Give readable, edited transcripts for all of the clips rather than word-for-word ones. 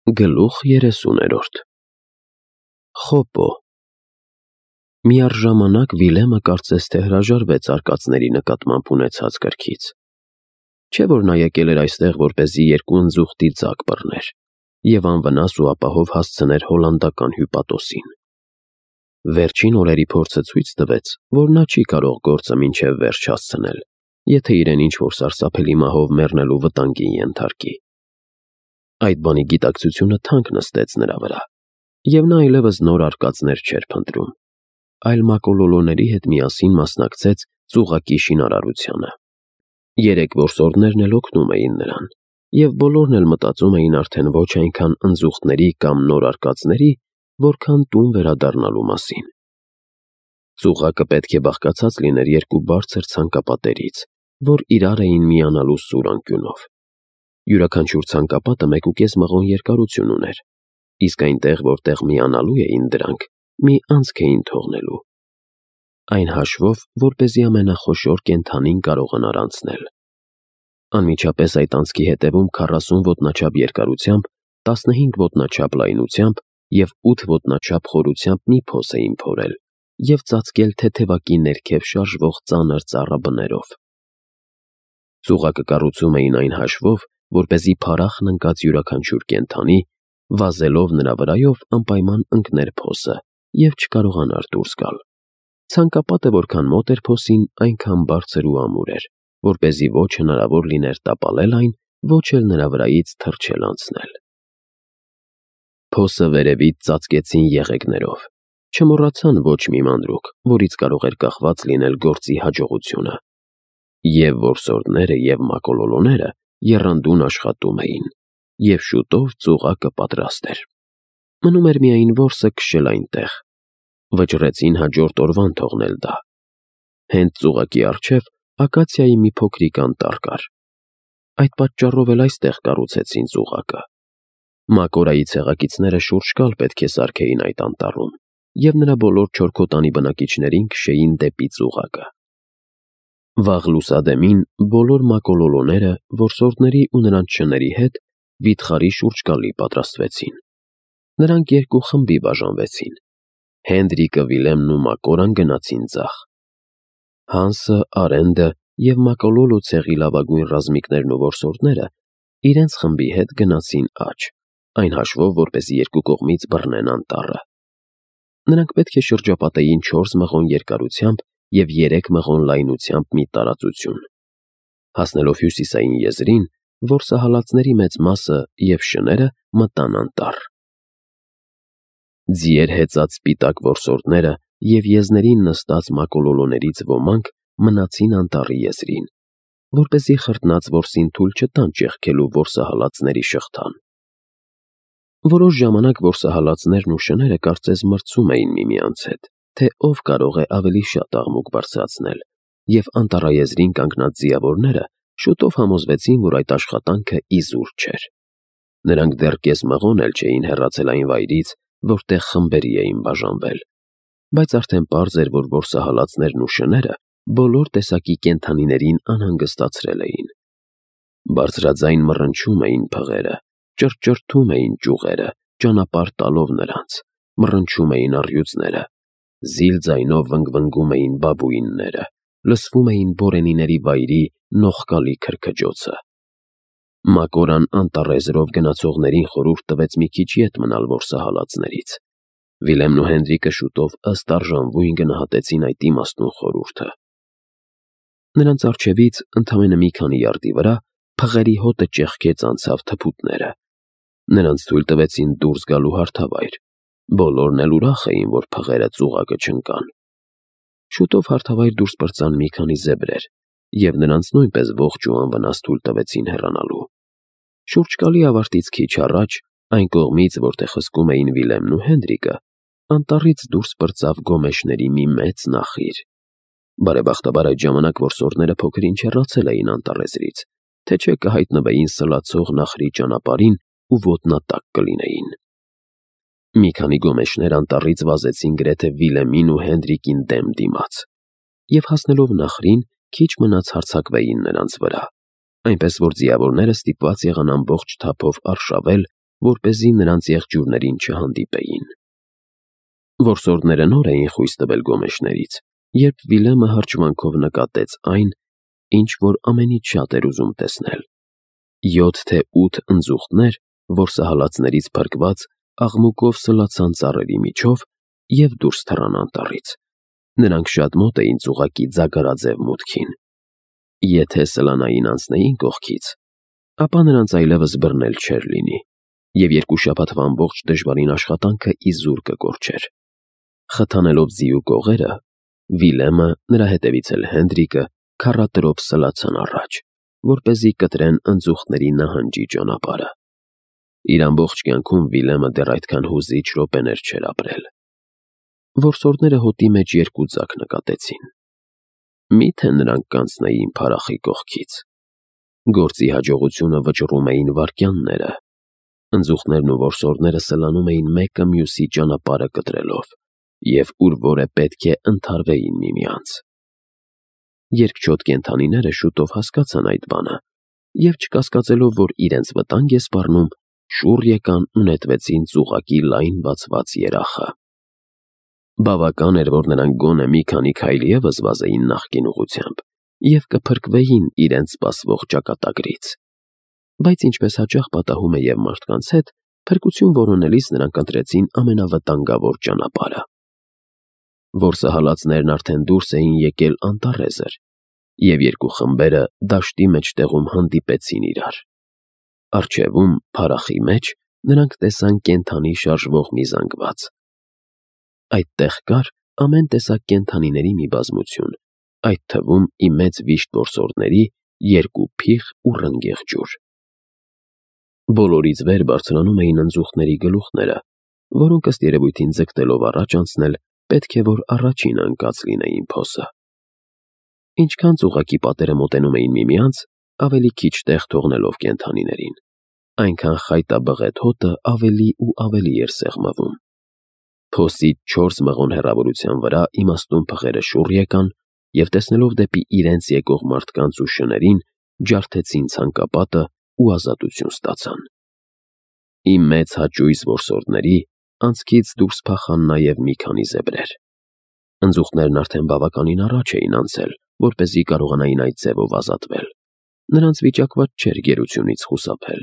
Գլուխ 30-րդ Խոպո Միառժամանակ Վիլեմը կարծես թե հրաժարվեց արկածների նկատմամբ ունեցած կրքից։ Չէ՞ որ նա եկել էր այստեղ, որպեսզի երկու ընձուղտի ձագ բռներ և անվնաս ու ապահով հասցներ հոլանդական հյուպատոսին։ Վերջին օրերի փորձը ցույց տվեց, որ նա չի կարող գործը մինչև վերջ հասցնել, եթե իրեն ինչ-որ սարսափելի մահով մեռնելու վտանգին ենթարկի։ Այդ բանի գիտակցությունը թանկ նստեց նրա վրա, և նա այլևս նոր արկածներ չէր փնտրում, այլ մակոլոլոների հետ միասին մասնակցեց ծուղակի շինարարությանը։ Երեք որսորդներն էլ օգնում էին նրան, և բոլորն էլ մտածում էին արդեն ոչ այնքան ընձուղտների կամ նոր արկածների, որքան տուն վերադառնալու մասին։ Ծուղակը պետք է բաղկացած լիներ երկու բարձր ցանկապատերից, որ իրար էին միանալու սուր անկյունով։ Յուրաքանչյուր ցանկապատը 1.5 մղոն երկարություն ուներ, իսկ այնտեղ, որտեղ միանալու էին դրանք, մի անցք էին թողնելու, այն հաշվով, որպեսզի ամենախոշոր կենդանին կարողանար անցնել։ Անմիջապես այդ անցքի հետևում 40 ոտնաչափ երկարությամբ, 15 ոտնաչափ լայնությամբ և 8 ոտնաչափ խորությամբ մի փոս էին փորել և ծածկել թեթևակի ներքև շարժվող ծանր ծառաբներով։ Ծուղակը կառուցում էին այն հաշվով, որպեսզի փառախն ընկած յուրաքանչյուր կենդանի, վազելով նրա վրայով, անպայման ընկներ փոսը և չկարողանար դուրս գալ։ Ցանկապատը որքան մոտ էր փոսին, այնքան բարձր ու ամուր էր, որպեսզի ոչ հնարավոր լիներ տապալել այն, ոչ էլ նրա վրայից թռչել անցնել։ Փոսը վերևից ծածկեցին եղեգներով։ Չմոռացան ոչ մի մանրուք, որից կարող էր կախված լինել գործի հաջողությունը։ Եվ որսորդները և մակոլոլոները եռանդուն աշխատում էին, և շուտով ծուղակը պատրաստ էր։ Մնում էր միայն որսը քշել այնտեղ։ Վճռեցին հաջորդ օրվան թողնել դա։ Հենց ծուղակի առջև ակացիայի մի փոքրիկ անտառ կար։ Այդ պատճառով էլ այստեղ կառուցեցին ծուղակը։ Մակորայի ցեղակիցները շուրջ կալ պետք է սարքեին այդ անտառում, և նրա բոլոր չորքոտանի բնակիչներին քշեին դեպի ծուղակը։ Վաղ լուսադեմին բոլոր մակոլոլոները որսորդների ու նրանց շների հետ վիթխարի շուրջկալի պատրաստվեցին։ Նրանք երկու խմբի բաժանվեցին։ Հենդրիկը, Վիլեմն ու Մակորան գնացին ձախ։ Հանսը, Արենդը և մակոլոլո ցեղի լավագույն ռազմիկներն ու որսորդները իրենց խմբի հետ գնացին աջ, այն հաշվով, որպեսզի երկու կողմից բռնեն անտառը։ Նրանք պետք է շրջապատեին 4 մղոն երկարությամբ և 3 մղոն լայնությամբ մի տարածություն։ Հասնելով հյուսիսային եզրին, որսահալածների մեծ մասը և շները մտան անտառ։ Ձիեր հեծած սպիտակ որսորդները և եզներին նստած մակոլոլոներից ոմանք մնացին անտառի եզրին, որպեսզի խրտնած որսին թույլ չտան ճեղքելու որսահալածների շղթան։ Որոշ ժամանակ որսահալածներն ու շները կարծես մրցում էին միմյանց հետ, թե ով կարող է ավելի շատ աղմուկ բարձրացնել, և անտառաեզրին կանգնած ձիավորները շուտով համոզվեցին, որ այդ աշխատանքը իզուր չէր։ Նրանք դեռ կես մղոն էլ չէին հեռացել այն վայրից, որտեղ խմբերի էին բաժանվել, բայց արդեն պարզ էր, որ որսահալածներն ու շները բոլոր տեսակի կենդանիներին անհանգստացրել էին։ Բարձրաձայն մռնչում էին փղերը, ճռճռթում էին ճյուղերը, ճանապարհ տալով նրանց, մռնչում էին առյուծները, զիլ ձայնով վնգվնգում էին բաբուինները, լսվում էին բորենիների վայրի նողկալի քրքջոցը։ Մակորան անտառեզրով գնացողներին խորհուրդ տվեց մի քիչ ետ մնալ որսահալածներից։ Վիլեմն ու Հենդրիկը շուտով ըստ արժանվույն գնահատեցին այդ իմաստուն խորհուրդը։ Նրանց առջևից, ընդամենը մի քանի յարդի վրա, փղերի հոտը ճեղքեց անցավ թփուտները։ Նրանց թույլ տվեցին դուրս գալու հարթավայր։ Բոլորն էլ ուրախ էին, որ փղերը ծուղակը չընկան։ Շուտով հարթավայր դուրս պրծան մի քանի զեբրեր, և նրանց նույնպես ողջ ու անվնաս թույլ տվեցին հեռանալու։ Շուրջկալի ավարտից քիչ առաջ, այն կողմից, որտեղ հսկում էին Վիլեմն ու Հենդրիկը, անտառից դուրս պրծավ գոմեշների մի մեծ նախիր։ Բարեբախտաբար այդ ժամանակ որսորդները փոքր-ինչ հեռացել էին անտառեզրից, թե չէ կհայտնվեին սլացող նախրի ճանապարհին ու ոտնատակ կլինեին։ Մի քանի գոմեշներ անտառից վազեցին գրեթե Վիլեմին ու Հենդրիկին դեմ դիմաց, և հասնելով նախրին, քիչ մնաց հարձակվեին նրանց վրա, այնպես որ ձիավորները ստիպված եղան ամբողջ թափով արշավել որպեսզի նրանց եղջյուրներին չհանդիպեին։ Որսորդները նոր էին խույս տվել գոմեշներից, երբ Վիլեմը հրճվանքով նկատեց այն, ինչ որ ամենից շատ էր ուզում տեսնել. 7 թե 8 ընձուղտներ, որսահալածներից փրկված, աղմուկով սլացան ծառերի միջով և դուրս թռան անտառից։ Նրանք շատ մոտ էին ծուղակի ձագարաձև մուտքին։ Եթե սլանային անցնեին կողքից, ապա նրանց այլևս բռնել չէր լինի, և 2 շաբաթվա ամբողջ դժվարին աշխատանքը իզուր կկորչեր։ Խթանելով ձիու կողերը, Վիլեմը, նրա հետևից էլ Հենդրիկը քառատրոփ սլացան առաջ, որպեսզի կտրեն ընձուղտների նահանջի ճանապարհը։ Իր ամբողջ կյանքում Վիլեմը դեռ այդքան հուզիչ րոպեներ չէր ապրել։ Որսորդները հոտի մեջ 2 ձագ նկատեցին։ Մի՞թե նրանք կանցնեին փարախի կողքից։ Գործի հաջողությունը վճռում էին վայրկյանները։ Ընձուղտներն ու որսորդները սլանում էին մեկը մյուսի ճանապարհը կտրելով, և ուր որ է պետք է ընդհարվեին միմյանց։ Երկչոտ կենդանիները շուտով հասկացան այդ բանը և, չկասկածելով, որ իրենց վտանգ է սպառնում, շուռ եկան ու նետվեցին ծուղակի լայն բացված երախը։ Բավական էր, որ նրանք գոնե մի քանի քայլ ևս վազեին նախկին ուղղությամբ և կփրկվեին իրենց սպասվող ճակատագրից։ Բայց ինչպես հաճախ պատահում է և մարդկանց հետ, փրկություն որոնելիս նրանք ընտրեցին ամենավտանգավոր ճանապարհը։ Որսահալածներն արդեն դուրս էին եկել անտառեզր, և 2 խմբերը դաշտի մեջտեղում հանդիպեցին իրար։ Առջևում, փարախի մեջ, նրանք տեսան կենդանի շարժվող մի զանգված։ Այդտեղ կար ամեն տեսակ կենդանիների մի բազմություն, այդ թվում ի մեծ վիշտ որսորդների 2 փիղ ու ռնգեղ ջուր։ Բոլորից վեր բարձրանում էին ընձուղտների գլուխները, որոնք ըստ երևույթին ձգտելով առաջ անցնել, պետք է որ առաջինը ընկած լինեին փոսը։ Ինչքան ծուղակի պատերը մոտենում էին միմյանց, ավելի քիչ տեղ թողնելով կենդանիներին, այնքան խայտաբղետ հոտը ավելի ու ավելի էր սեղմվում։ Փոսից 4 մղոն հեռավորության վրա իմաստուն փղերը շուռ եկան և տեսնելով դեպի իրենց եկող մարդկանց ու շներին, ջարդեցին ցանկապատը ու ազատություն ստացան։ Իմ մեծ հաճույս որսորդների անցքից դուրս փախան նաև մի քանի զեբրեր։ Ընձուղտներն արդեն բավականին առաջ էին անցել, որպեսզի կարողանային այդ ձևով ազատվել։ Նրանց վիճակված չէր գերությունից խուսափել։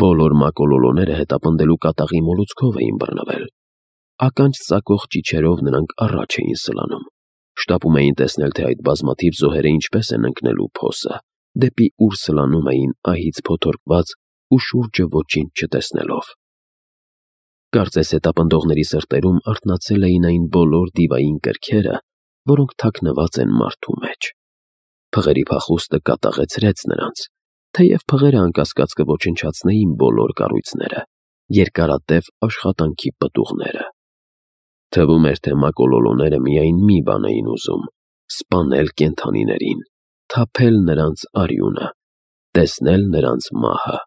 Բոլոր մակոլոլոները հետապնդելու կատաղի մոլուցքով էին բռնվել։ Ականջ ծակող ճիչերով նրանք առաջ էին սլանում։ Շտապում էին տեսնել, թե այդ բազմաթիվ զոհերը ինչպես են ընկնելու փոսը, դեպի ուր սլանում էին ահից փոթորկված ու շուրջը ոչինչ չտեսնելով։ Կարծես հետապնդողների սրտերում արթնացել էին այն բոլոր դիվային կրքերը, որոնք թաքնված են մարդու մեջ։ Փղերի փախուստը կատաղեցրեց նրանց, թեև փղերը անկասկած կոչնչացնեին բոլոր կառույցները, երկարատև աշխատանքի պտուղները։ Թվում էր, թե մակոլոլոները միայն մի բան էին ուզում՝ սպանել կենդանիներին, թափել նրանց արյունը, տեսնել նրանց մահը։